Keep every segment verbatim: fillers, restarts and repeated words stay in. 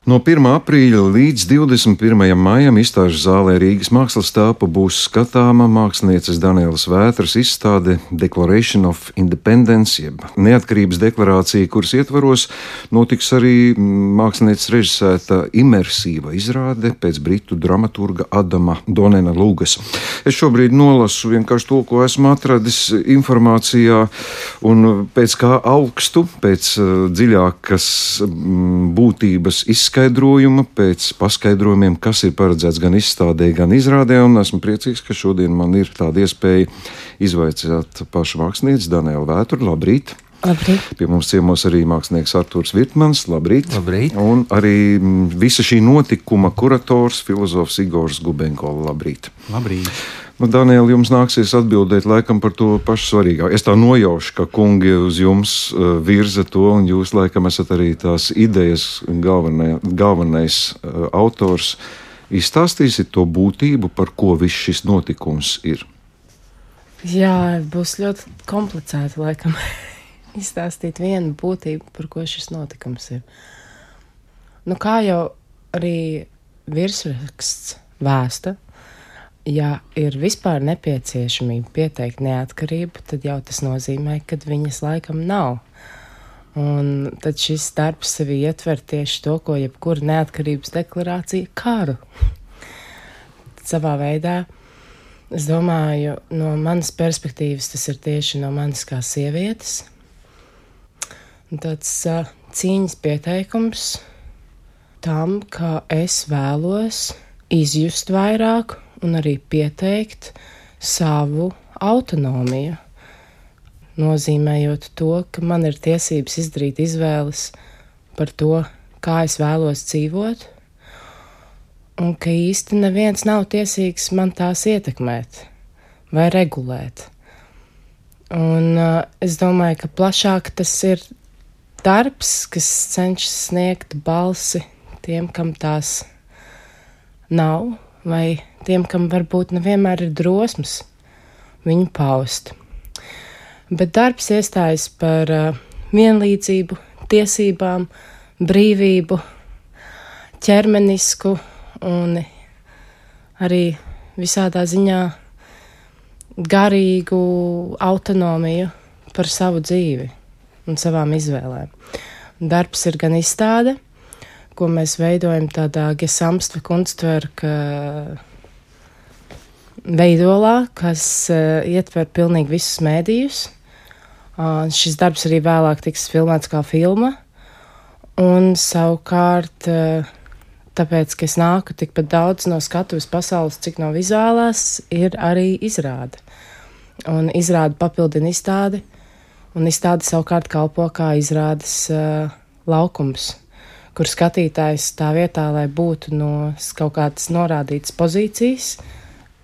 No pirmā aprīļa līdz divdesmit pirmajam maijam izstāžu zālē Rīgas Mākslas telpa būs skatāma mākslinieces Danielas Vētras izstāde Declaration of Independence, jeb neatkarības deklarācija, kuras ietvaros notiks arī mākslinieces režisēta imersīva izrāde pēc britu dramaturga Adama Donena Lugas. Es šobrīd nolasu vienkārši to, ko esmu atradis informācijā, un pēc kā augstu, pēc dziļākas būtības izskatījuma, Skaidrojuma, pēc paskaidrojumiem, kas ir paredzēts gan izstādē, gan izrādē, un esmu priecīgs, ka šodien man ir tāda iespēja izvaicāt pašu mākslinieci Danielu Vētru. Labrīt! Labrīt! Pie mums ciemos arī mākslinieks Artūrs Virtmans. Labrīt! Labrīt! Un arī visa šī notikuma kurators, filozofs Igors Gubenko. Labrīt! Labrīt! Nu, Daniela, jums nāksies atbildēt laikam par to pašu svarīgāko. Es tā nojaušu, ka kungi uz jums uh, virza to, un jūs laikam esat arī tās idejas galvenai, galvenais uh, autors. Izstāstīsiet to būtību, par ko viss šis notikums ir. Jā, būs ļoti komplicēti laikam izstāstīt vienu būtību, par ko šis notikums ir. Nu, kā jau arī virsraksts vēsta, ja ir vispār nepieciešamība pieteikt neatkarību, tad jau tas nozīmē, ka viņas laikam nav. Un tad šis darbs sevi ietver tieši to, ko jebkura neatkarības deklarācija - karu. Savā veidā, es domāju, no manas perspektīvas tas ir tieši no manis kā sievietes. Un tāds uh, cīņas pieteikums tam, ka es vēlos izjust vairāk un arī pieteikt savu autonomiju, nozīmējot to, ka man ir tiesības izdarīt izvēles par to, kā es vēlos dzīvot, un ka īsti neviens nav tiesīgs man tās ietekmēt vai regulēt. Un uh, es domāju, ka plašāk tas ir darbs, kas cenšas sniegt balsi tiem, kam tās nav, vai tiem, kam varbūt nevienmēr ir drosmas viņu paust. Bet darbs iestājas par uh, vienlīdzību, tiesībām, brīvību, ķermenisku un arī visādā ziņā garīgu autonomiju par savu dzīvi un savām izvēlēm. Darbs ir gan izstāde, ko mēs veidojam tādā Gesamtve Kunstwerka veidolā, kas uh, ietver pilnīgi visus mēdījus. Uh, šis darbs arī vēlāk tiks filmēts kā filma. Un savukārt, uh, tāpēc, ka es nāku tikpat daudz no skatuves pasaules, cik no vizuālās, ir arī izrāde. Un izrāde papildina izstādi, un izstāde savukārt kalpo kā izrādes uh, laukums, kur skatītājs tā vietā, lai būtu no kaut kādas norādītas pozīcijas,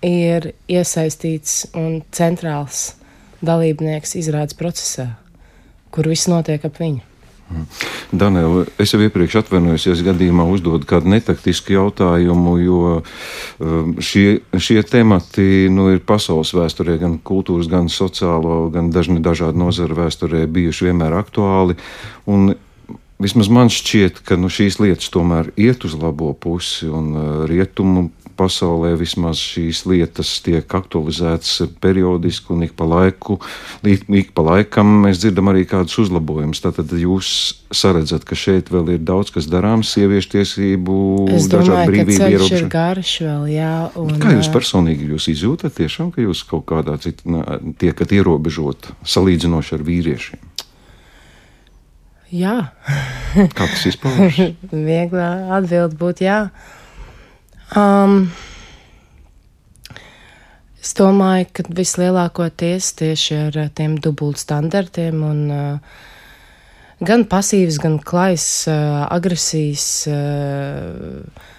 ir iesaistīts un centrāls dalībnieks izrādes procesā, kur viss notiek ap viņu. Daniela, es jau iepriekš atvainojos, ja es gadījumā uzdodu kādu netaktisku jautājumu, jo šie, šie temati nu, ir pasaules vēsturē, gan kultūras, gan sociālo, gan dažni dažādu nozaru vēsturē bijuši vienmēr aktuāli. Un vismaz man šķiet, ka nu, šīs lietas tomēr iet uz labo pusi, un rietumu pasaulē vismaz šīs lietas tiek aktualizētas periodiski, un ik pa laiku, ik, ik pa laikam mēs dzirdam arī kādus uzlabojumus. Tātad jūs saredzat, ka šeit vēl ir daudz, kas darāms, sieviešu tiesību, dažādu brīvību ierobežošanu. Es domāju, ka ceļš ir garš vēl, jā. Un, kā jūs personīgi jūs izjūtat tiešām, ka jūs kaut kādā citā tiekat ierobežot, salīdzinoši ar vīriešiem? Jā. Kā tas izpaužas? Vieglā atbild būtu jā. Um, es domāju, ka vislielākoties tieši ar tiem dubult standartiem un uh, gan pasīvas, gan klais uh, agresijas uh,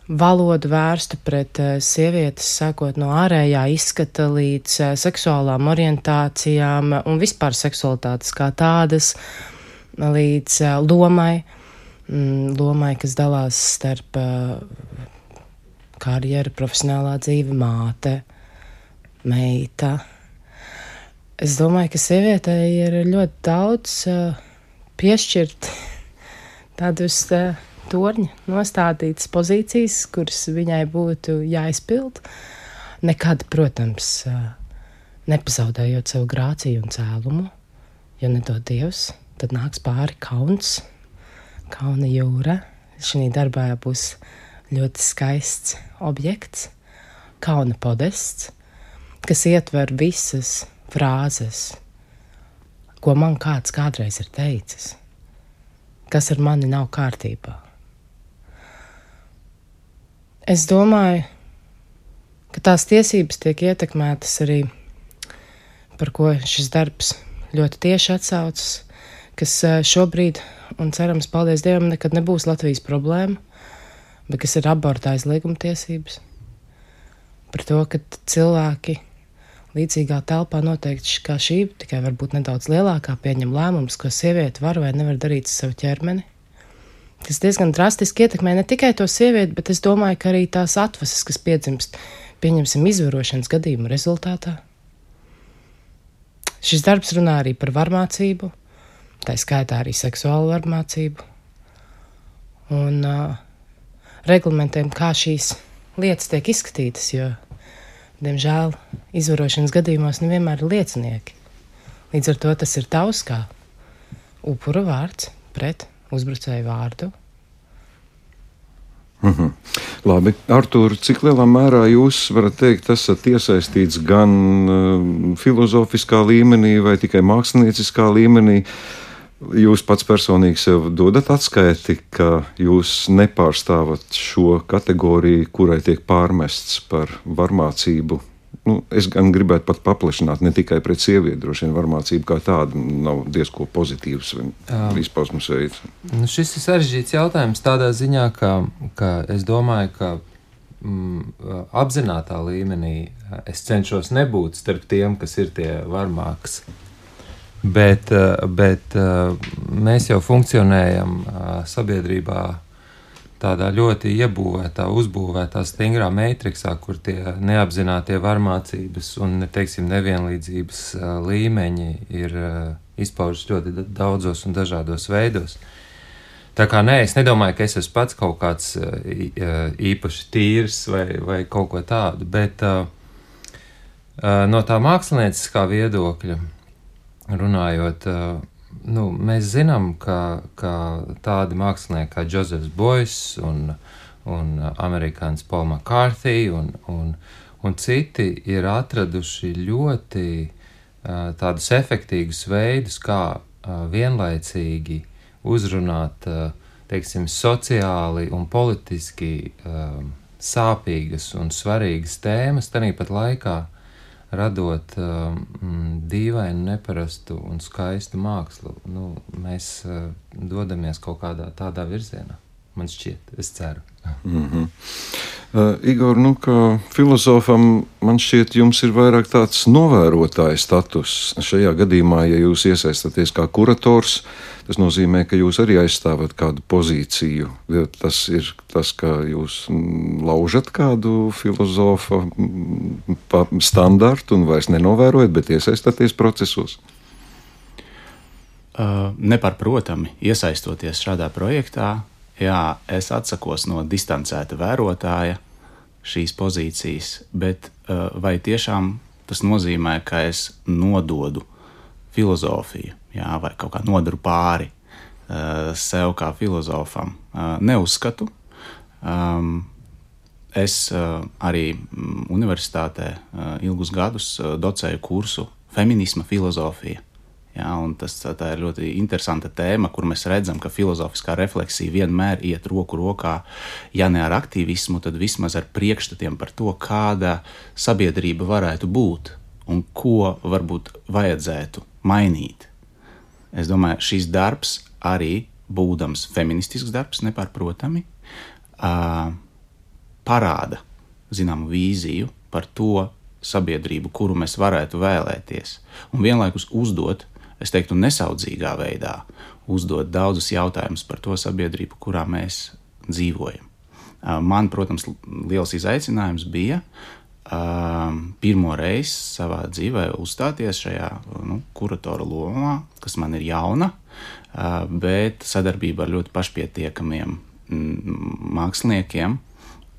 valodu vērstu pret uh, sievietes, sākot no ārējā izskata līdz uh, seksuālām orientācijām un vispār seksualitātes kā tādas, līdz uh, lomai, mm, lomai, kas dalās starp uh, karjera, profesionālā dzīve, māte, meita. Es domāju, ka sievietei ir ļoti daudz uh, piešķirt tādus uh, torņa nostādītas pozīcijas, kuras viņai būtu jāizpild. Nekad, protams, nepazaudējot savu grāciju un cēlumu, jo nedod Dievs, tad nāks pāri kauns, kauna jūra. Šī darbā būs ļoti skaists objekts, kauna podests, kas ietver visas frāzes, ko man kāds kādreiz ir teicis, kas ar mani nav kārtībā. Es domāju, ka tās tiesības tiek ietekmētas arī, par ko šis darbs ļoti tieši atsaucas, kas šobrīd, un cerams, paldies Dievam, nekad nebūs Latvijas problēma, bet kas ir aborta aizlieguma tiesības. Par to, ka cilvēki līdzīgā telpā noteikti kā šī, tikai varbūt nedaudz lielākā, pieņem lēmumus, ko sieviete var vai nevar darīt ar savu ķermeni, kas diezgan drastiski ietekmē ne tikai to sievieti, bet es domāju, ka arī tās atvases, kas piedzimst, pieņemsim izvarošanas gadījumu rezultātā. Šis darbs runā arī par varmācību, tā skaitā arī seksuālu varmācību, un uh, reglamentiem, kā šīs lietas tiek izskatītas, jo diemžēl izvarošanas gadījumos nevienmēr ir liecinieki. Līdz ar to tas ir tavs kā upura vārds pret uzbrucēju vārdu. Mhm. Labi, Artūr, cik lielā mērā jūs varat teikt, esat iesaistīts gan uh, filozofiskā līmenī vai tikai mākslinieckā līmenī? Jūs pats personīgi sev dodat atskaiti, ka jūs nepārstāvat šo kategoriju, kurai tiek pārmests par varmācību. Nu, es gan gribētu pat paplašināt, ne tikai pret sievieti, droši vien varmācība kā tāda nav diezko pozitīvs izpausmes veids. Nu, šis ir sarežģīts jautājums tādā ziņā, ka, ka es domāju, ka mm, apzinātā līmenī es cenšos nebūt starp tiem, kas ir tie varmāks. Bet, bet mēs jau funkcionējam sabiedrībā tādā ļoti iebūvētā, uzbūvētā, stingrā matriksā, kur tie neapzinātie varmācības un, teiksim, nevienlīdzības līmeņi ir izpaužas ļoti daudzos un dažādos veidos. Tā kā nē, es nedomāju, ka es esmu pats kaut kāds īpaši tīrs vai, vai kaut ko tādu, bet no tā mākslinieciskā viedokļa runājot, nu, mēs zinām, ka, ka tādi mākslinieki kā Josephs Beuys un, un amerikānis Paul McCarthy un, un, un citi ir atraduši ļoti uh, tādus efektīgus veidus, kā uh, vienlaicīgi uzrunāt, uh, teiksim, sociāli un politiski uh, sāpīgas un svarīgas tēmas, tāpat laikā radot um, dīvainu, neparastu un skaistu mākslu. Nu, mēs uh, dodamies kaut kādā tādā virzienā. Man šķiet, es ceru. Mm-hmm. Uh, Igor, nu, kā filozofam, man šķiet, jums ir vairāk tāds novērotāja status. Šajā gadījumā, ja jūs iesaistaties kā kurators, tas nozīmē, ka jūs arī aizstāvat kādu pozīciju. Tas ir tas, ka jūs laužat kādu filozofa standartu un vairs nenovērojat, bet iesaistaties procesos. Uh, nepārprotami, iesaistoties šādā projektā, jā, es atsakos no distancēta vērotāja šīs pozīcijas, bet uh, vai tiešām tas nozīmē, ka es nododu filozofiju, jā, vai kaut kā nodaru pāri uh, sev kā filozofam? Uh, neuzskatu. Um, es uh, arī universitātē uh, ilgus gadus uh, docēju kursu feminisma filozofija. Jā, un tas, tā ir ļoti interesanta tēma, kur mēs redzam, ka filozofiskā refleksija vienmēr iet roku rokā, ja ne ar aktīvismu, tad vismaz ar priekšstatiem par to, kāda sabiedrība varētu būt un ko varbūt vajadzētu mainīt. Es domāju, šis darbs arī, būdams feministisks darbs, nepārprotami, parāda zināmu vīziju par to sabiedrību, kuru mēs varētu vēlēties, un vienlaikus uzdot, es teiktu, nesaudzīgā veidā uzdot daudzus jautājumus par to sabiedrību, kurā mēs dzīvojam. Man, protams, liels izaicinājums bija pirmo reizi savā dzīvē uzstāties šajā nu, kuratora lomā, kas man ir jauna, bet sadarbība ar ļoti pašpietiekamiem māksliniekiem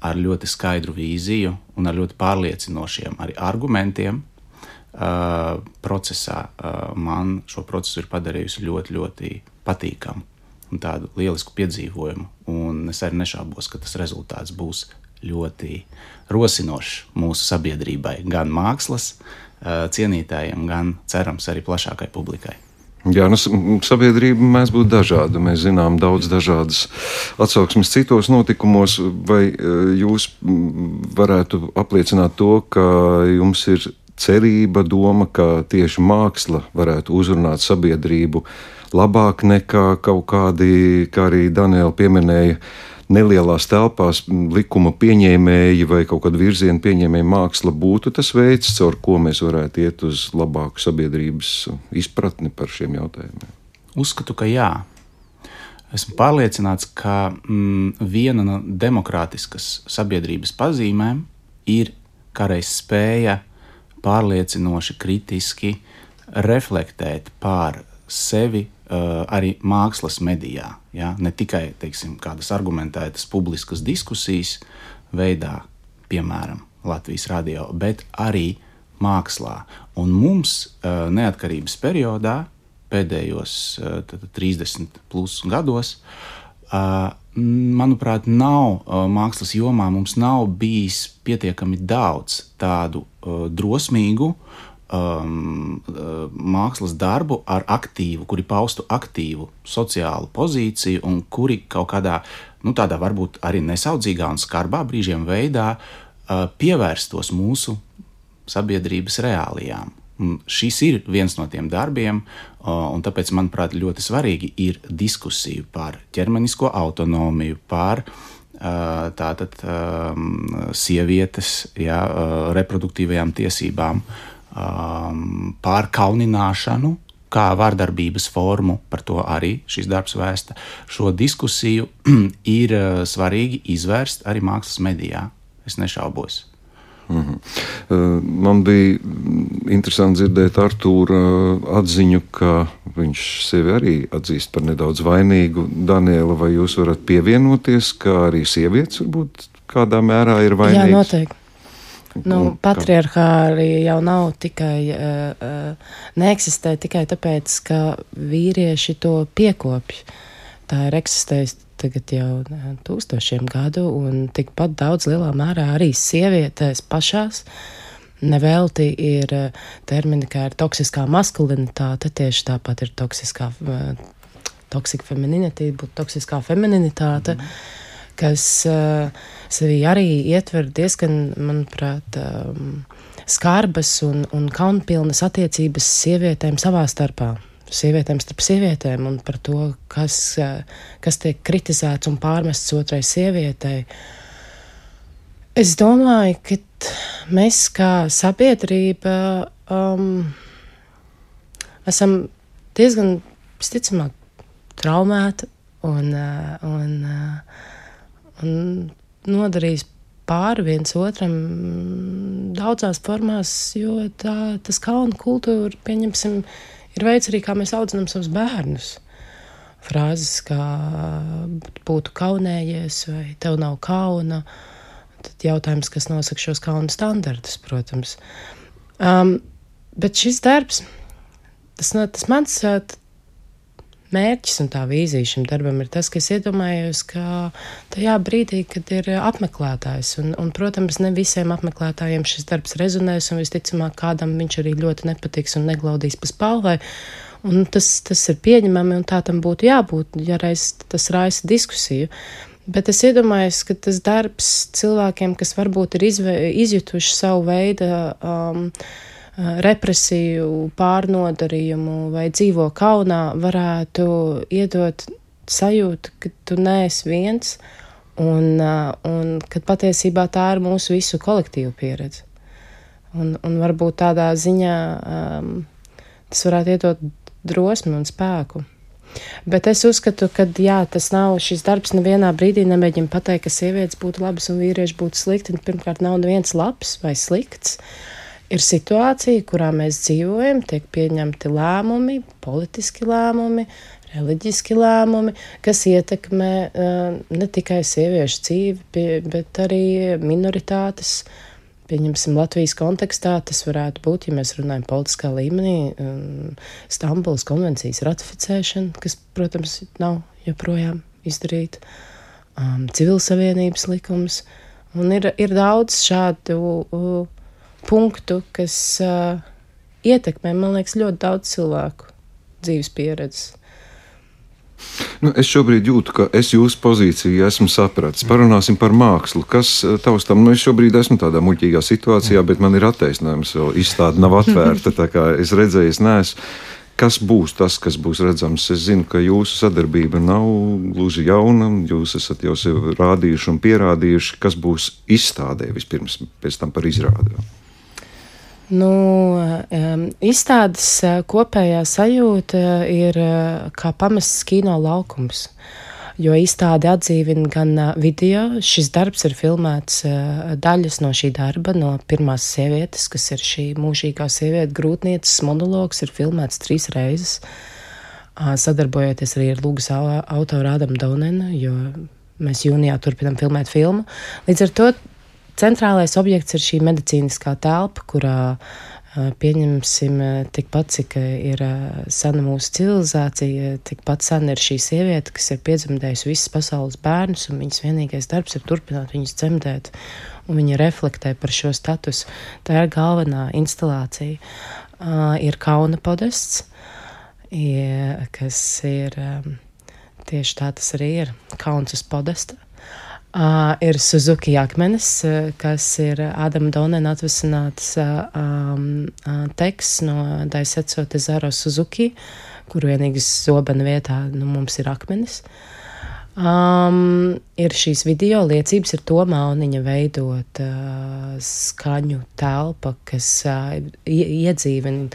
ar ļoti skaidru vīziju un ar ļoti pārliecinošiem arī argumentiem uh, procesā. Uh, man šo procesu ir padarījusi ļoti, ļoti patīkamu un tādu lielisku piedzīvojumu. Un es arī nešaubos, ka tas rezultāts būs ļoti rosinošs mūsu sabiedrībai, gan mākslas uh, cienītājiem, gan cerams arī plašākai publikai. Jā, nu, sabiedrība mēs būtu dažāda. Mēs zinām daudz dažādas atsauksmes citos notikumos. Vai jūs varētu apliecināt to, ka jums ir cerība, doma, ka tieši māksla varētu uzrunāt sabiedrību labāk nekā kaut kādi, kā arī Daniela pieminēja, nelielās telpās likuma pieņēmēji vai kaut kāda virziena pieņēmēja māksla būtu tas veids, caur ko mēs varētu iet uz labāku sabiedrības izpratni par šiem jautājumiem? Uzskatu, ka jā. Esmu pārliecināts, ka mm, viena no demokrātiskas sabiedrības pazīmēm ir kādreiz spēja pārliecinoši, kritiski reflektēt pār sevi uh, arī mākslas medijā. Ja? Ne tikai, teiksim, kādas argumentētas publiskas diskusijas veidā, piemēram, Latvijas radio, bet arī mākslā. Un mums uh, neatkarības periodā, pēdējos uh, trīsdesmit plus gados, uh, manuprāt, nav uh, mākslas jomā, mums nav bijis pietiekami daudz tādu uh, drosmīgu um, uh, mākslas darbu ar aktīvu, kuri paustu aktīvu sociālu pozīciju un kuri kaut kādā, nu tādā varbūt arī nesaudzīgā un skarbā brīžiem veidā uh, pievērstos mūsu sabiedrības reālijām. Un šis ir viens no tiem darbiem, un tāpēc, manuprāt, ļoti svarīgi ir diskusija par ķermenisko autonomiju, par tātad sievietes, jā, reproduktīvajām tiesībām, par kaunināšanu, kā vārdarbības formu, par to arī šis darbs vēsta. Šo diskusiju ir svarīgi izvērst arī mākslas medijā, es nešaubos. Mm-hmm. Man bija interesanti dzirdēt Artūra atziņu, ka viņš sevi arī atzīst par nedaudz vainīgu. Daniela, vai jūs varat pievienoties, ka arī sievietes varbūt kādā mērā ir vainīgas? Jā, noteikti. Nu, patriarchāli jau nav tikai, uh, neeksistē tikai tāpēc, ka vīrieši to piekopj. Tā ir eksistējusi tagad jau tūkstošiem gadu, un tikpat daudz lielā mērā arī sievietēs pašās. Nevelti ir termini, kā ir toksiskā maskulinitāte, tieši tāpat ir toksiskā, toksika femininitīte, būtu toksiskā femininitāte, mm. kas uh, sevī arī ietver diezgan, manuprāt, um, skarbas un, un kaunpilnas attiecības sievietēm savā starpā. Sievietēm starp sievietēm un par to, kas, kas tiek kritizēts un pārmests otrai sievietei. Es domāju, ka mēs kā sabiedrība um, esam diezgan, visticamāk, traumēti un, un, un nodarījis pāri viens otram daudzās formās, jo tā, tas kauna kultūra, pieņemsim, ir veids arī, kā mēs audzinām savus bērnus. Frāzes, kā būtu kaunējies vai tev nav kauna. Tad jautājums, kas nosaka šos kauna standartus, protams. Um, bet šis darbs, tas, tas mans mērķis un tā vīzija šim darbam ir tas, ka es iedomājos, ka tajā brīdī, kad ir apmeklētājs, un, un, protams, ne visiem apmeklētājiem šis darbs rezonēs, un visticamāk kādam viņš arī ļoti nepatiks un neglaudīs pa spalvai, un tas, tas ir pieņemami, un tā tam būtu jābūt, ja reiz tas raisa diskusiju. Bet es iedomājos, ka tas darbs cilvēkiem, kas varbūt ir izve, izjutuši savu veidu um, represiju, pārnodarījumu vai dzīvo kaunā, varētu iedot sajūtu, ka tu neesi viens un, un ka patiesībā tā ir mūsu visu kolektīvu pieredze. Un, un varbūt tādā ziņā um, tas varētu iedot drosmi un spēku. Bet es uzskatu, ka jā, tas nav šis darbs nevienā brīdī nemēģina pateikt, ka sievietes būtu labas un vīrieši būtu slikti. Pirmkārt, nav neviens labs vai slikts. Ir situācija, kurā mēs dzīvojam, tiek pieņemti lēmumi, politiski lēmumi, reliģiski lēmumi, kas ietekmē ne tikai sieviešu dzīvi, bet arī minoritātes. Pieņemsim, Latvijas kontekstā tas varētu būt, ja mēs runājam politiskā līmenī, Stambulas konvencijas ratificēšana, kas, protams, nav joprojām izdarīta, um, civilsavienības likums, un ir, ir daudz šādu uh, punktu, kas uh, ietekmē, man liekas, ļoti daudz cilvēku dzīves pieredzes. Nu, es šobrīd jūtu, ka es jūsu pozīciju esmu sapratis. Parunāsim par mākslu. Kas taustam? Nu, es šobrīd esmu tādā muļķīgā situācijā, bet man ir attaisnojums, jo izstāde nav atvērta, tā kā es redzēju, es neesmu. Kas būs tas, kas būs redzams? Es zinu, ka jūsu sadarbība nav gluži jauna, jūs esat jau sev rādījuši un pierādījuši, kas būs izstādē vispirms, pēc tam par izrādi. Nu, izstādes kopējā sajūta ir kā pamests kino laukums, jo izstāde atdzīvina gan video. Šis darbs ir filmēts daļas no šī darba, no pirmās sievietes, kas ir šī mūžīgā sieviete, grūtnieces monologs, ir filmēts trīs reizes, sadarbojoties arī ar lūgas autoru Ādamu Daunenu, jo mēs jūnijā turpinām filmēt filmu. Līdz ar to centrālais objekts ir šī medicīniskā telpa, kurā pieņemsim tikpat, cik ir sena mūsu civilizācija, tikpat sena ir šī sieviete, kas ir piedzemdējusi visas pasaules bērnus, un viņas vienīgais darbs ir turpināt viņus dzemdēt, un viņa reflektē par šo statusu. Tā ir galvenā instalācija. Uh, ir kauna podests, ja, kas ir, um, tieši tā tas arī ir, kauns uz podesta. Uh, ir Suzuki akmenis, uh, kas ir Ādama Daunena atvesināts uh, um, uh, teksts no Daisetsu Tezaro Suzuki, kur vienīgas zobena vietā nu, mums ir akmenis. Um, ir šīs video liecības, ir to Mauniņa veidot uh, skaņu telpa, kas uh, iedzīvina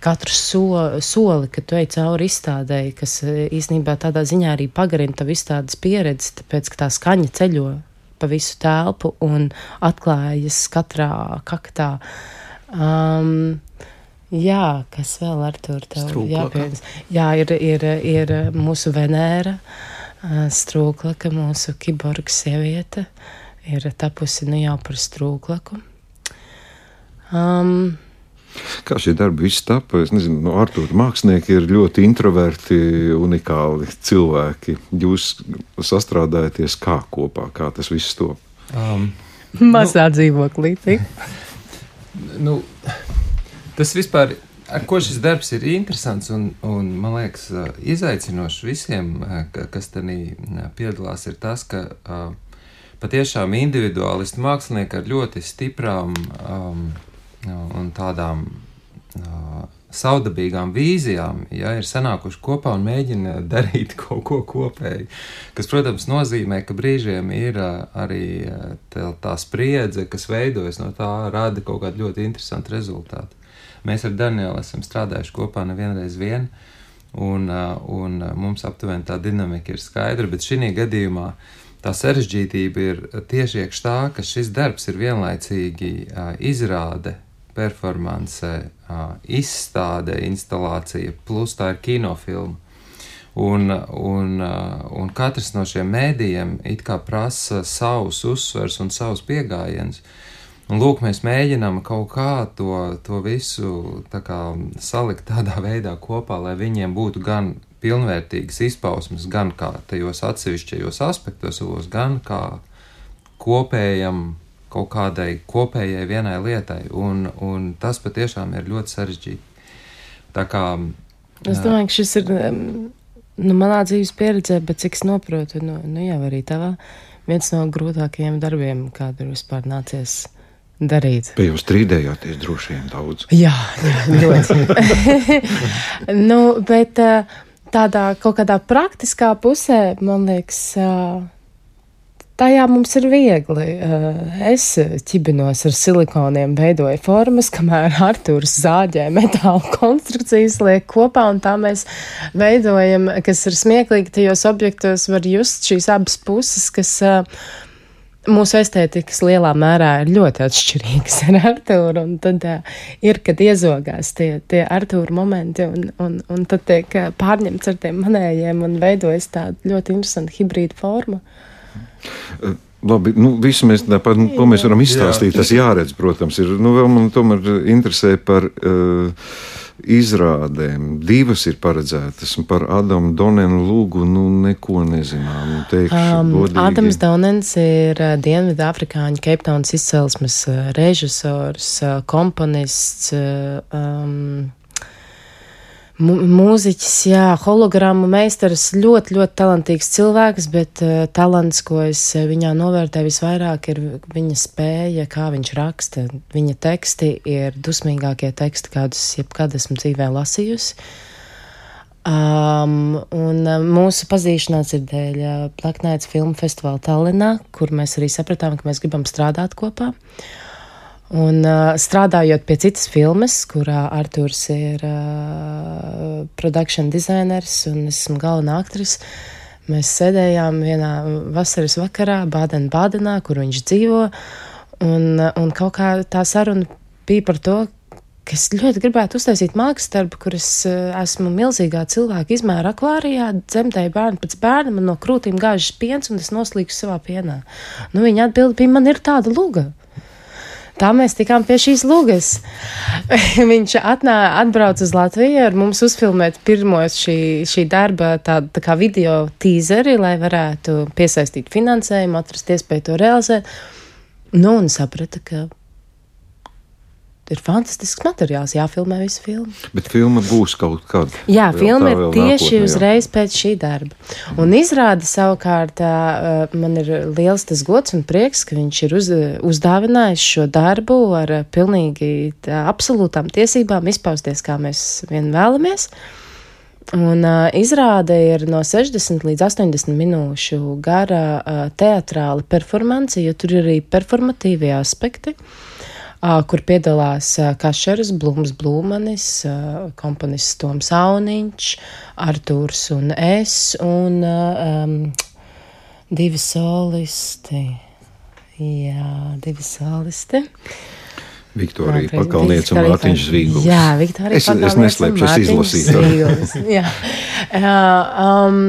katru so, soli, kad tu ej cauri izstādēji, kas īstenībā tādā ziņā arī pagarina tavu izstādes pieredzi, tāpēc, ka tā skaņa ceļo pa visu telpu un atklājas katrā kaktā. Um, jā, kas vēl, Artur, tev jāpieņems? Jā, ir, ir, ir mūsu Venēra, strūklaka, mūsu kiborga sieviete, ir tapusi nu jau par strūklaku. Um, Kā šie darbi viss tapa? Es nezinu, no Artūra mākslinieki ir ļoti introverti, unikāli cilvēki. Jūs sastrādājaties kā kopā, kā tas viss top? Um, Mazā nu, dzīvoklī, tik? Nu, tas vispār, ar ko šis darbs ir interesants un, un man liekas, izaicinošs visiem, kas tanī piedalās, ir tas, ka uh, patiešām individuālisti mākslinieki ar ļoti stiprām um, un tādām uh, saudabīgām vīzijām, ja, ir sanākuši kopā un mēģina darīt kaut ko kopēji, kas, protams, nozīmē, ka brīžiem ir uh, arī uh, tā, tā spriedze, kas veidojas no tā, rada kaut kādu ļoti interesantu rezultātu. Mēs ar Danielu esam strādājuši kopā nevienreiz vien, un, uh, un mums aptuveni tā dinamika ir skaidra, bet šī gadījumā tā sarežģītība ir tieši iekš tā, ka šis darbs ir vienlaicīgi uh, izrāde, performance, uh, izstāde, instalācija, plus tā ir kinofilma. Un, un, uh, un katrs no šiem mēdījiem it kā prasa savus uzsvers un savus piegājienus. Un lūk, mēs mēģinām kaut kā to, to visu tā kā salikt tādā veidā kopā, lai viņiem būtu gan pilnvērtīgas izpausmes, gan kā tajos atsevišķajos aspektos, gan kā kopējam, kaut kādai kopējai vienai lietai, un, un tas patiešām ir ļoti sarežģīti. Tā kā... Es domāju, ka šis ir, nu, manā dzīves pieredzē, bet cik es noprotu, nu, nu jau arī tavā, viens no grūtākajiem darbiem, kādu ir vispār nācies darīt. Pie jūs strīdējāties droši vien daudz. Jā, jā, ļoti. Nu, bet tādā kaut kādā praktiskā pusē, man liekas, tajā mums ir viegli. Es ķibinos ar silikoniem, veidoju formas, kamēr Artūrs zāģē metāla konstrukcijas liek kopā, un tā mēs veidojam, kas ir smieklīgi, tajos objektos var just šīs abas puses, kas mūsu estētikas lielā mērā ir ļoti atšķirīgas ar Artūru, un tad uh, ir, kad iezogās tie, tie Artūra momenti, un, un, un tad tiek uh, pārņemts ar tiem manējiem un veidojas tāda ļoti interesanta hibrīda forma. Uh. Labi, nu, visu mēs tāpat, nu, ko mēs varam izstāstīt, jā. Tas jāredz, protams, ir, nu, vēl man tomēr interesē par uh, izrādēm. Divas ir paredzētas, un par Adamu Donenu Lūgu, nu, neko nezinām, teikšu um, godīgi. Adams Donens ir uh, Dienvidāfrikāņu Keiptaunas izcelsmes uh, režisors, uh, komponists, uh, um, mūziķis, jā, hologrammu meistars, ļoti, ļoti talantīgs cilvēks, bet uh, talants, ko es viņā novērtēju visvairāk, ir viņa spēja, kā viņš raksta. Viņa teksti ir dusmīgākie teksti, kādus jebkad esmu dzīvē lasījusi. Um, un uh, mūsu pazīšanās ir dēļ uh, Black Nights filmu festivāla Tallinā, kur mēs arī sapratām, ka mēs gribam strādāt kopā. Un uh, strādājot pie citas filmas, kurā Artūrs ir uh, production designers un esmu galvenā aktris, mēs sēdējām vienā vasaras vakarā Bāden-Bādenā, kur viņš dzīvo, un, un kaut kā tā saruna bija par to, ka es ļoti gribētu uztaisīt mākslas darbu, kur es uh, esmu milzīgā cilvēka izmēra akvārijā, dzemdēju bērnu pēc bērna, man no krūtīm gāžas piens, un es noslīkšu savā pienā. Nu, viņa atbildi bija, man ir tāda luga. Tā mēs tikām pie šīs lugas. Viņš atnā, atbrauc uz Latviju ar mums uzfilmēt pirmos šī, šī darba tādu tā kā video tīzeri, lai varētu piesaistīt finansējumu, atrast iespēju to realizēt. Nu, un saprata, ka ir fantastisks materiāls, jāfilmē visu filmu. Bet filma būs kaut kad. Jā, filma ir tieši nākotnē, uzreiz pēc šī darba. Un izrāda savukārt, man ir liels tas gods un prieks, ka viņš ir uz, uzdāvinājis šo darbu ar pilnīgi tā, absolūtām tiesībām izpausties, kā mēs vien vēlamies. Un uh, izrāde ir no sešdesmit līdz astoņdesmit minūšu gara uh, teatrāla performance, jo tur ir arī performatīvie aspekti. Uh, kur piedalās uh, Kašeras, Blūms Blūmanis, uh, komponists Toms Auniņš, Artūrs un es, un uh, um, divi solisti. Jā, divi solisti. Viktorija Pakalniece un Mārtiņš Zvīguls. Jā, Viktorija Pakalniece un Mārtiņš Zvīguls. Jā. Uh, um,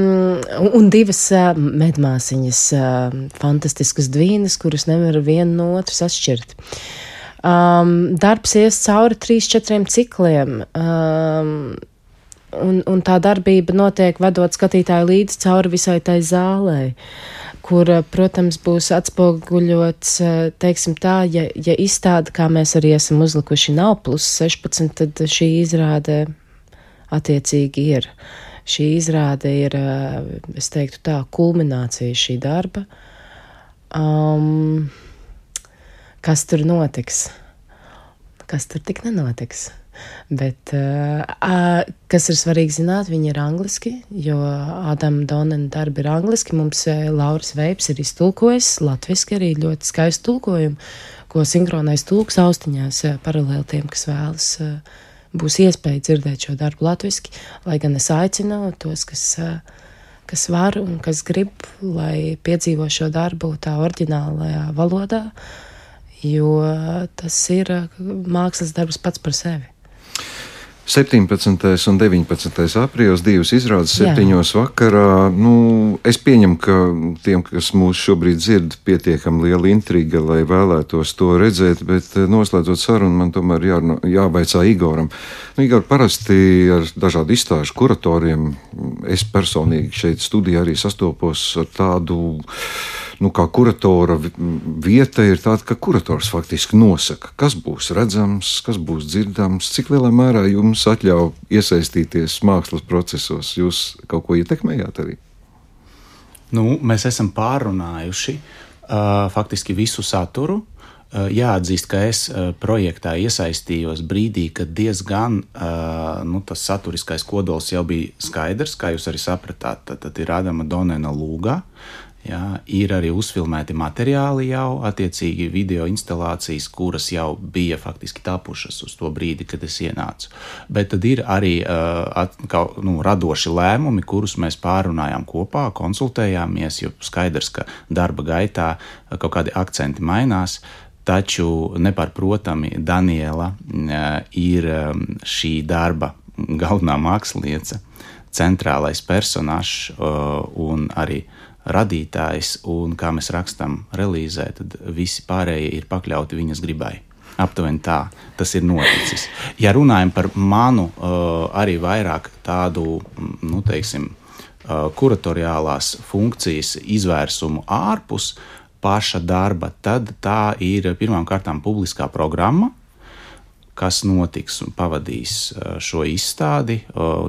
un divas uh, medmāsiņas, uh, fantastiskas dvīnas, kuras nevar vienu no otras atšķirt. Um, darbs ies cauri trīs, četriem cikliem, um, un, un tā darbība notiek vedot skatītāju līdzi cauri visai tai zālē, kur, protams, būs atspoguļots, teiksim tā, ja, ja izstāde, kā mēs arī esam uzlikuši, nav plus sešpadsmit, tad šī izrāde attiecīgi ir. Šī izrāde ir, es teiktu tā, kulminācija šī darba. Um, Kas tur notiks? Kas tur tik nenotiks? Bet, uh, kas ir svarīgi zināt, viņi ir angliski, jo Adama Donena darbi ir angliski. Mums uh, Lauris Veips ir iztulkojis, latviski arī ļoti skaistu tulkojumu, ko sinhronais tulks austiņās uh, paralēli tiem, kas vēlas, uh, būs iespēja dzirdēt šo darbu latviski, lai gan es aicinu tos, kas, uh, kas var un kas grib, lai piedzīvo šo darbu tā oriģinālajā valodā, jo tas ir mākslas darbs pats par sevi. septiņpadsmitais un deviņpadsmitais aprīlis, divas izrādes septiņos vakarā. Nu, es pieņemu, ka tiem, kas mūs šobrīd dzird, pietiekam liela intriga, lai vēlētos to redzēt, bet noslēdzot sarunu, man tomēr jā, jāvaicā Igoram. Nu, Igor, parasti ar dažādu izstāžu kuratoriem, es personīgi šeit studijā arī sastopos ar tādu, nu, kā kuratora vieta ir tāda, ka kurators faktiski nosaka, kas būs redzams, kas būs dzirdams, cik lielā mērā jums atļauj iesaistīties mākslas procesos. Jūs kaut ko ietekmējāt arī? Nu, mēs esam pārunājuši uh, faktiski visu saturu. Uh, jāatzīst, ka es uh, projektā iesaistījos brīdī, kad diezgan uh, nu, tas saturiskais kodols jau bija skaidrs, kā jūs arī sapratāt, tad, tad ir Adama Donena Lūgā. Jā, ir arī uzfilmēti materiāli jau, attiecīgi video instalācijas, kuras jau bija faktiski tapušas uz to brīdi, kad es ienācu. Bet tad ir arī uh, at, kā, nu, radoši lēmumi, kurus mēs pārunājām kopā, konsultējāmies, jo skaidrs, ka darba gaitā kaut kādi akcenti mainās, taču nepārprotami Daniela uh, ir um, šī darba galvenā māksliniece, centrālais personāžs uh, un arī radītājs, un kā mēs rakstam relīzē, tad visi pārējie ir pakļauti viņas gribai. Aptuveni tā, tas ir noticis. Ja runājam par manu arī vairāk tādu, nu teiksim, kuratoriālās funkcijas izvērsumu ārpus paša darba, tad tā ir pirmām kārtām publiskā programma, kas notiks un pavadīs šo izstādi.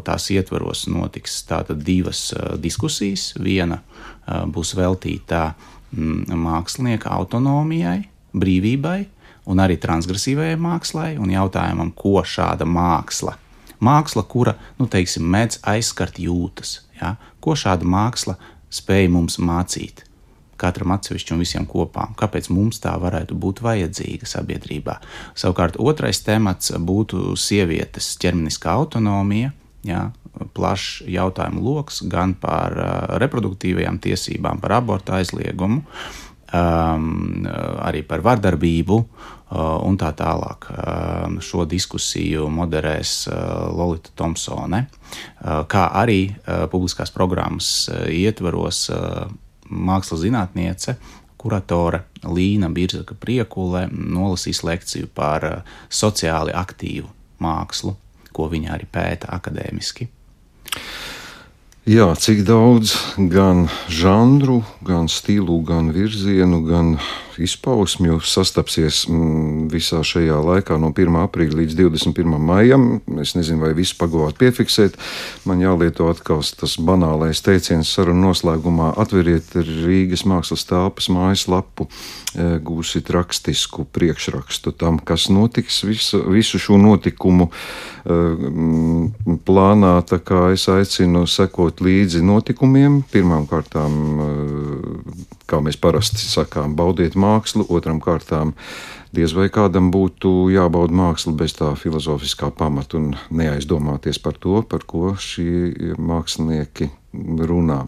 Tās ietvaros notiks tātad divas diskusijas. Viena būs veltīta mākslinieka autonomijai, brīvībai un arī transgresīvajai mākslai un jautājumam, ko šāda māksla, māksla, kura, nu teiksim, mēdz aizskart jūtas, ja? Ko šāda māksla spēj mums mācīt? Katram atsevišķi un visiem kopā. Kāpēc mums tā varētu būt vajadzīga sabiedrībā? Savukārt otrais temats būtu sievietes ķermeniskā autonomija, jā, plašs jautājumu loks gan par uh, reproduktīvajām tiesībām, par abortu aizliegumu, um, arī par vardarbību uh, un tā tālāk. Uh, šo diskusiju moderēs uh, Lolita Thompsone, uh, kā arī uh, publiskās programmas uh, ietvaros uh, mākslas zinātniece, kuratore Līna Birzaka Priekule nolasīs lekciju par uh, sociāli aktīvu mākslu, ko viņa arī pēta akadēmiski. Jā, cik daudz gan žanru, gan stilu, gan virzienu, gan izpausmju sastapsies visā šajā laikā no pirmā aprīļa līdz divdesmit pirmajam maijam. Es nezinu, vai visu pagavāt piefiksēt. Man jālieto atkal tas banālais teiciens sarunu noslēgumā: atveriet Rīgas Mākslas telpas mājaslapu, gūsit rakstisku priekšrakstu tam, kas notiks visu, visu šo notikumu plānā. Tā kā es aicinu sekot līdzi notikumiem. Pirmām kārtām, kā mēs parasti sakām, baudiet mākslu, otram kārtām diez vai kādam būtu jābauda māksla bez tā filozofiskā pamata un neaizdomāties par to, par ko šie mākslinieki runā.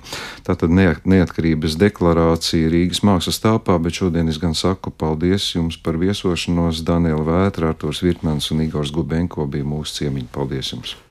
Tātad neatkarības deklarācija Rīgas Mākslas telpā, bet šodien es gan saku paldies jums par viesošanos. Daniela Vētra, Arturs Virtmans un Igors Gubenko bija mūsu ciemiņi. Paldies jums!